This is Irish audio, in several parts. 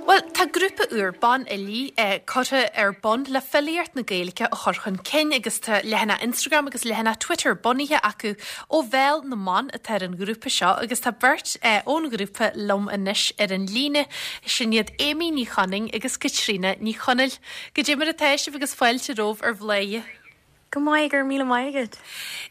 Bhuel, tá grúpa úr banfhilí curtha ar bun le filíocht na Gaeilge a chur chun cinn agus tá leathanach Instagram agus leathanach Twitter bunaithe acu. Ó Bhéal na mBan atá ar an ghrúpa seo agus tá beirt ón ghrúpa liom anois ar an líne, sin iad Amy Ní Chonaing agus Caitríona Ní Chonaill. Goidé mar atá sibh agus fáilte romhaibh ar Bhladhaire. Go maith, go raibh míle maith agat.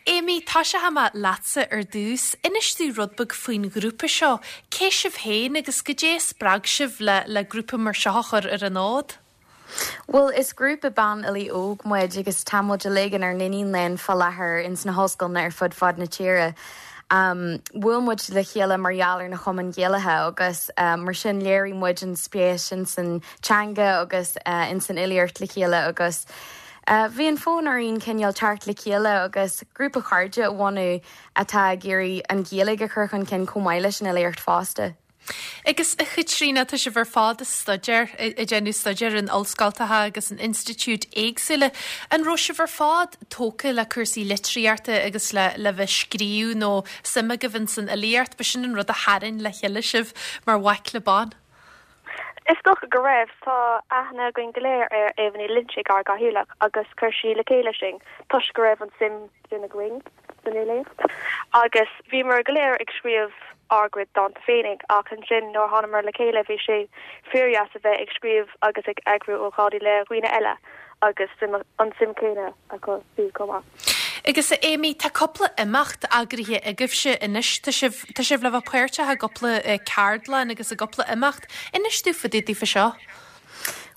Amy, tosóidh mé leatsa ar dtús. Inis domh rud beag faoin ghrúpa seo. Cé sibh féin agus goidé a spreag sibh le le grúpa mar seo a chur ar an fhód? Bhuel, is grúpa banfhilí óg muid agus tá muid uilig inár n-iníon léinn fá láthair ins na hollscoileanna ar fud fad na tíre. Bhuail muid le chéile mar gheall ar na Chumainn Ghaelacha agus mar sin léirigh muid an spéis ins an teanga agus ins an fhilíocht le chéile agus Bhí an fonn orainn cineál teacht le chéile agus grúpa cairde a bhunú atá ag iarraidh an Ghaeilge a chur chun cinn chomh maith leis an fhilíocht fosta. Agus a Chaitríona, tá sibh ar fad ag staidéar, ag déanamh staidéir in ollscoltacha agus in institiúid éagsúla. An raibh sibh ar fad tógtha le cúrsaí litríochta agus le le bheith scríobh nó suim agaibh ins an fhilíocht? B'shin an rud a tharraing le chéile sibh mar bhaicle ban? Is dócha go raibh. Tá aithne againn go léir ar Éabha Ní Loinsigh, ár gcathaoirleach, agus chuir sí le chéile sinn toisc go raibh an suim sin againn san fhilíocht. Agus bhíomar go léir ag scríobh ár gcuid dánta féinig ach ansin nuair a thánamar le chéile bhí sé fíordheas a bheith ag scríobh agus ag eagrú ócáidí le dhaoine eile agus an suim chéanna acu siúd chomh maith. Agus a Amy, tá cúpla imeacht eagraithe agaibhse anois. Tá sibh, tá sibh le bheith páirteach i gcúpla ceardlann agus i gcúpla imeacht. Inis domh fá dtaobh daofa seo.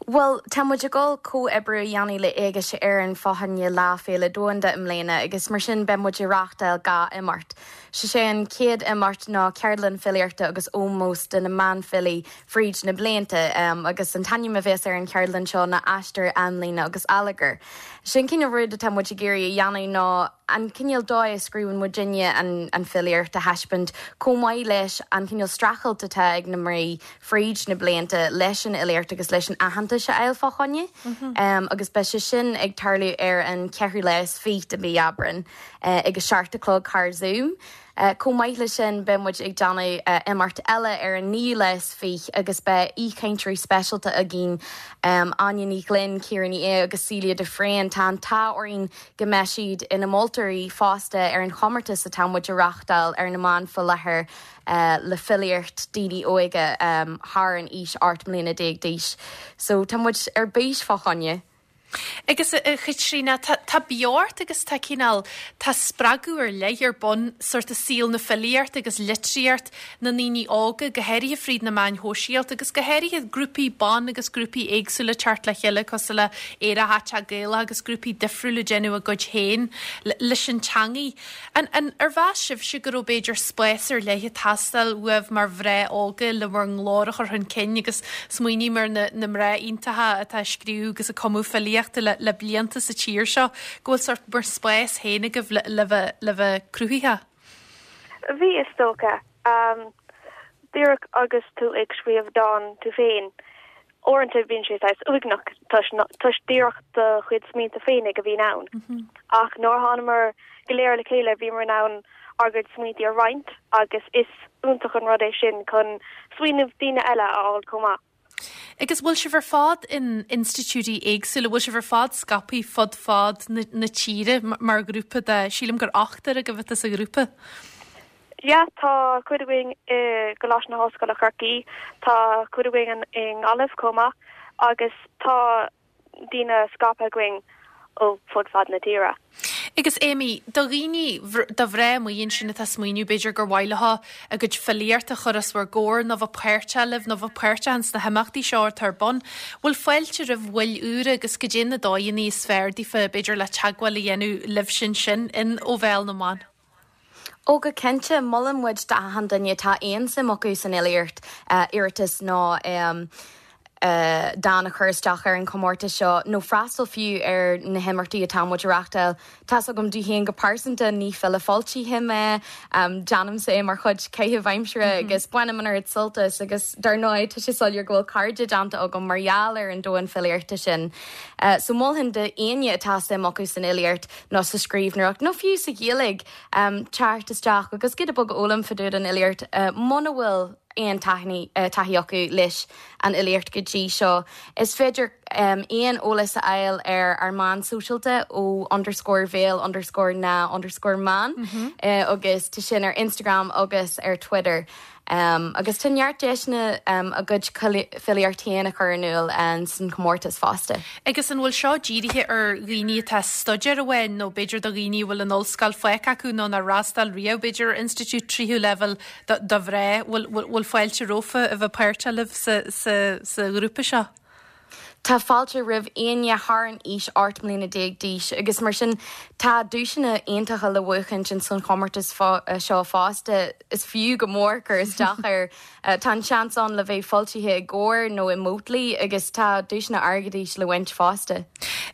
Bhuel, tá muid ag dul comhoibriú a dhéanamh le Éigse Éireann fá choinne Lá Féile Domhanda i mbliana agus mar sin beidh muid ag reáchtáil 2 imeacht. Sé sé an chéad imeacht ná ceardlann filíochta agus ómós do na mbanfhilí fríd na blianta agus an t-ainm a bheas ar an cheardlann seo ná Aistear, Amlíne agus Allagar. Sé an cineál rud atá muid ag iarraidh a dhéanamh ná an cineál dóigh a scríobhann muidinne an filíocht a thaispeáint chomh maith leis an cineál streachailt atá ag na mná fríd na blianta leis an fhilíocht agus leis an aitheantas a fháil fá choinne agus beidh sé sin ag tarlú ar an cheathrú lá is fiche de mhí Aibreán ag a seacht a chlog thar Zoom. Chomh maith leis sin, beidh muid ag déanamh imeacht eile ar an naoú lá is fiche agus beidh aoichainteoirí speisialta againn, Áine Ní Ghlinn, Ciara Ní É agus Celia de Fréine. Tá an t-ádh orainn go mbeidh siad ina moltóirí fosta ar an chomórtas atá muid a reáchtáil ar na meáin faoi láthair le filíocht daoine óga thar an aois 18 mbliana d'aois. So tá muid ar bís fá choinne. Agus a Chaitríona, tá, tá beocht agus tá cineál, tá spreagadh ar leith ar bun sórt i saol na filíochta agus litríocht na ndaoine óga, go háirithe fríd na meáin shóisialta agus go háirithe grúpaí ban agus grúpaí éagsúla teacht le chéile cosúil le Aerach Aiteach Gaelach agus grúpaí difriúla ag déanamh a gcuid féin leis an teangaidh. An, an, ar mheas sibhse go raibh b'fhéidir spás ar leith ag teastáil uaibh mar mhná óga le bhur nglór a chur chun cinn agus smaoiním ar na, na mná iontacha atá ag scríobh agus ag cumadh filíochta le, le blianta sa tír seo, go bhfuil sórt bhur spás féin agaibh le, le bheith, le bheith cruthaitheach? Bhí, is dócha. Díreach agus tú ag scríobh dán tú féin, Uaireanta bíonn sé saghas uaigneach toisc díreach do chuid smaointe féinig a bhíonn ann. Ach nuair a thánamar go léir le chéile bhíomar in ann ár gcuid smaointe a roinnt agus is iontach an rud é sin chun smaoineamh daoine eile a fháil chomh maith. Agus bhfuil sibh ar fad in institiúidí éagsúla, bhfuil sibh ar fad scaipthe fud fad na tíre mar ghrúpa de, sílim gur ochtar agaibh atá sa ghrúpa? Yeah, tá cuid againn i gColáiste na hOllscoile Chorcaí, tá cuid againn i nGaillimh chomh maith agus tá daoine scaipthe againn ó fud fad na tíre. Agus Amy, do dhaoine, do mhná amuigh ansin atá ag smaoineamh b'fhéidir gur mhaith leo a gcuid filíochta a chur os bhur gcomhair nó bheith páirteach libh nó bheith páirteach ins na himeachtaí seo atá ar bun, bhfuil fáilte roimh bhaill úra agus goidé na dóigheanna is fearr daofa b'fhéidir le teagmháil a dhéanamh libhse ansin in Ó Bhéal na mBan? Ó go cinnte, molann muid d'achan duine atá aon suim acu san fhilíocht iarratas nó dán a chur isteach ar an chomórtas seo nó freastal fiú ar na himeachtaí atá muid a reachtáil. Tá's agam domh féin go pearsanta, ní file foilsithe mé, déanaimse é mar chuid caitheamh aimsire agus bainim an oiread sult as agus dar ndóigh tá sé soiléir go bhfuil cairde déanta agam mar gheall ar an domhan filíochta sin. So mholfainn d'éinne atá suim acu san fhilíocht nó sa scríbhneoireacht, nó fiú sa Ghaeilge, teacht isteach agus giota beag a fhoghlaim fá dtaobh den fhilíocht, muna bhfuil. aon taithí acu leis an fhilíocht go dtí seo. Is féidir aon eolas a fháil ar ár meáin sóisialta ó underscore bhéal underscore na underscore mban agus tá sin ar Instagram agus ar Twitter. Agus tá neart deiseanna a gcuid filíocht féin a chur in iúl san chomórtas fosta. Agus an bhfuil seo dírithe ar dhaoine atá ag staidéar amháin nó b'fhéidir do dhaoine a bhfuil an ollscoil fágtha acu nó nár fhreastail riamh b'fhéidir ar institiúid tríú leibhéal do mhná? Bhfuil fáilte rompu a bheith páirteach libh sa ghrúpa seo? Tá fáilte roimh éinne thar an aois 18 mbliana d'aois agus mar sin tá duaiseanna iontacha le buachaint ins an chomórtas seo fosta. Is fiú go mór cur isteach air. Tá an seans ann le bheith foilsithe i gComhar nó i Mótlaí agus tá duaiseanna airgeadais le baint fosta.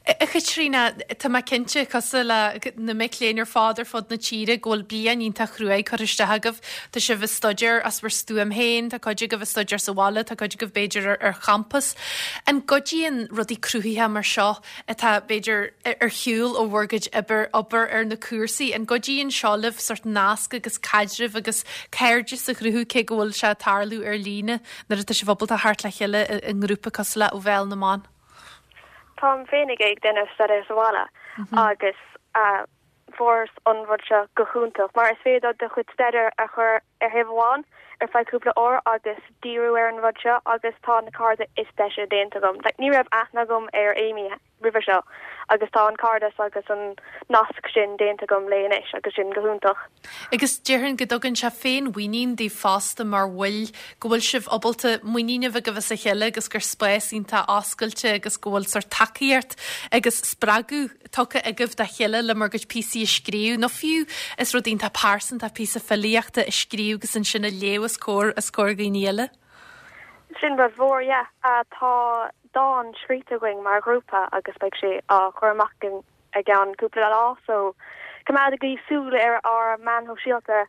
A Chaitríona, tá mé cinnte, cosúil le na mic léinn ar fad ar fud na tíre, go bhfuil bliain iontach chruaidh curtha isteach agaibh. Tá sibh ag staidéar as bhur stuaim féin, tá cuid agaibh ag staidéar sa bhaile, tá cuid agaibh b'fhéidir ar champas. An gcuidíonn rudaí cruthaitheacha mar seo atá b'fhéidir ar shiúl ó bhur gcuid obair, obair ar na cúrsaí, an gcuidíonn seo libh sort nasc agus caidreamh agus cairdeas a chruthú cé go bhfuil sé ag tarlú ar líne nuair atá sibh ábalta theacht le chéile i ngrúpa cosúil le Ó Bhéal na mBan? Táim féinig ag déanamh staidéar sa bhaile agus fuaireas an rud seo go hiontach mar is féidir do chuid staidéir a chur ar thaobh amháin ar feadh cúpla uair agus díriú ar an rud seo agus tá na cairde is deise déanta agam. Like ní raibh aithne agam ar Amy roimhe seo agus tá an cairdeas agus an nasc sin déanta agam léi anois agus sin go hiontach. Agus déarfainn go dtugann sé féin-mhuinín daoibh fosta mar bhaill, go bhfuil sibh ábalta muinín a bheith agaibh as a chéile agus gur spás iontach oscailte agus go bhfuil sórt tacaíocht agus spreagadh tugtha agaibh dá chéile le bhur gcuid píosaí a scríobh nó fiú is rud iontach pearsanta píosa filíochta a scríobh agus ansin a léamh os comhair os comhair dhaoine eile. Sin rud mhór, yeah. Tá dán scríte againn mar ghrúpa agus beidh sé á chur amach againn i gceann cúpla lá so coimeádaigí súil ar ár meáin shóisialta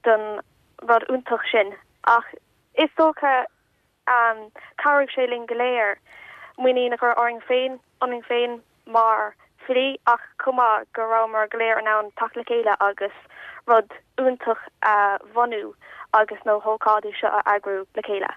don rud iontach sin. Ach is dócha chabhraigh sé linn go léir muinín a chur orainn féin, ionainn féin mar filí ach chomh maith go rabhamar go léir in ann teacht le chéile agus rud iontach a bhunú agus na hócáidí seo a eagrú le chéile.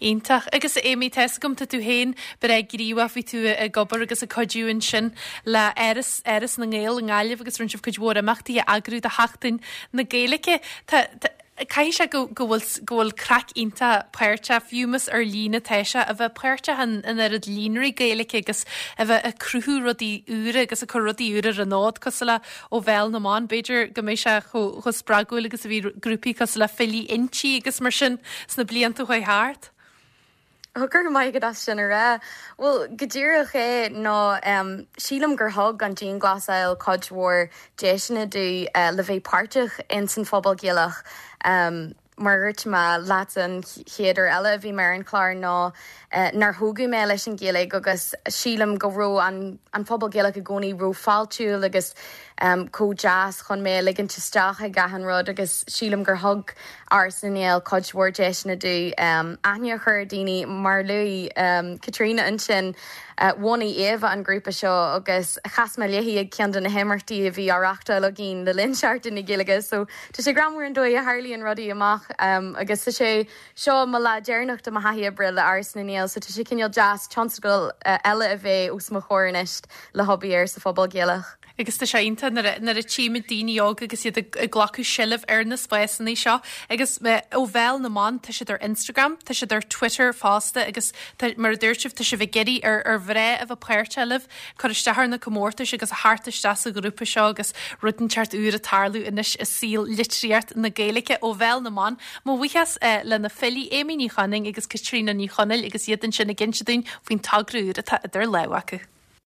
Iontach. Agus a Amy, tá 'fhios agam, tá tú féin breá gníomhach, bhí tú ag obair agus ag cuidiú ansin le Áras, Áras na nGael i nGaillimh agus rinne sibh cuid mhór imeachtaí a eagrú do Sheachtain na Gaeilge. Tá, tá, caithfidh sé go, go bhfuil, go bhfuil craic iontach páirteach, fiú más ar líne atá sé, a bheith páirteach in, in oiread líonraí Gaeilge agus a bheith ag cruthú rudaí úra agus ag cur rudaí úra ar an fhód cosúil le Ó Bhéal na mBan. B'fhéidir go mbeidh sé chomh spreagúil agus a bhí grúpaí cosúil le Filí Innti agus mar sin sna blianta a chuaigh thart. Go raibh maith agat as sin a rá. Bhuel, go díreach é nó sílim gur thug an dianghlasáil cuid mhór deiseanna domh le bheith páirteach ins an phobal Gaelach. Mar a dúirt mé leatsa an chéad uair eile a bhí mé ar an chlár ná nár thógadh mé leis an Ghaeilge agus sílim go raibh an an phobal Gaelach i gcónaí ró-fháiltiúil agus chomh deas chun mé a ligint isteach ag achan rud agus sílim gur thug Áras na nGael cuid mhór deiseanna domh aithne a chur ar daoine mar a luaigh Caitríona ansin. Bhunaigh Éabha an grúpa seo agus chas mé léi ag ceann de na himeachtaí a bhí á reachtáil againn le linn Seachtain na Gaeilge so tá sé greannmhar an dóigh a tharlaíonn rudaí amach agus tá sé seo mo lá deireanach de mo thaithí oibre le Áras na nGael so tá sé cineál deas tionscadal eile a bheith os mo chomhair anois le hobair air sa phobal Gaelach. Agus tá sé iontach nuair a, nuair a tchímid daoine óga agus iad ag, ag glacadh seilbh ar na spásanna seo agus ó Bhéal na mBan, tá siad ar Instagram, tá siad ar Twitter fosta agus tá, mar a dúirt sibh, tá sibh ag iarraidh ar, ar mhná a bheith páirteach libh, cur isteach ar na comórtais agus a theacht isteach sa ghrúpa seo agus rud inteacht úr ag tarlú anois i saol litríocht na Gaeilge ó Bhéal na mBan. Mo bhuíochas le na filí Amy Ní Chonaing agus Caitríona Ní Chonaill agus iad ansin ag inse dúinn faoin togra úr atá idir lámha acu.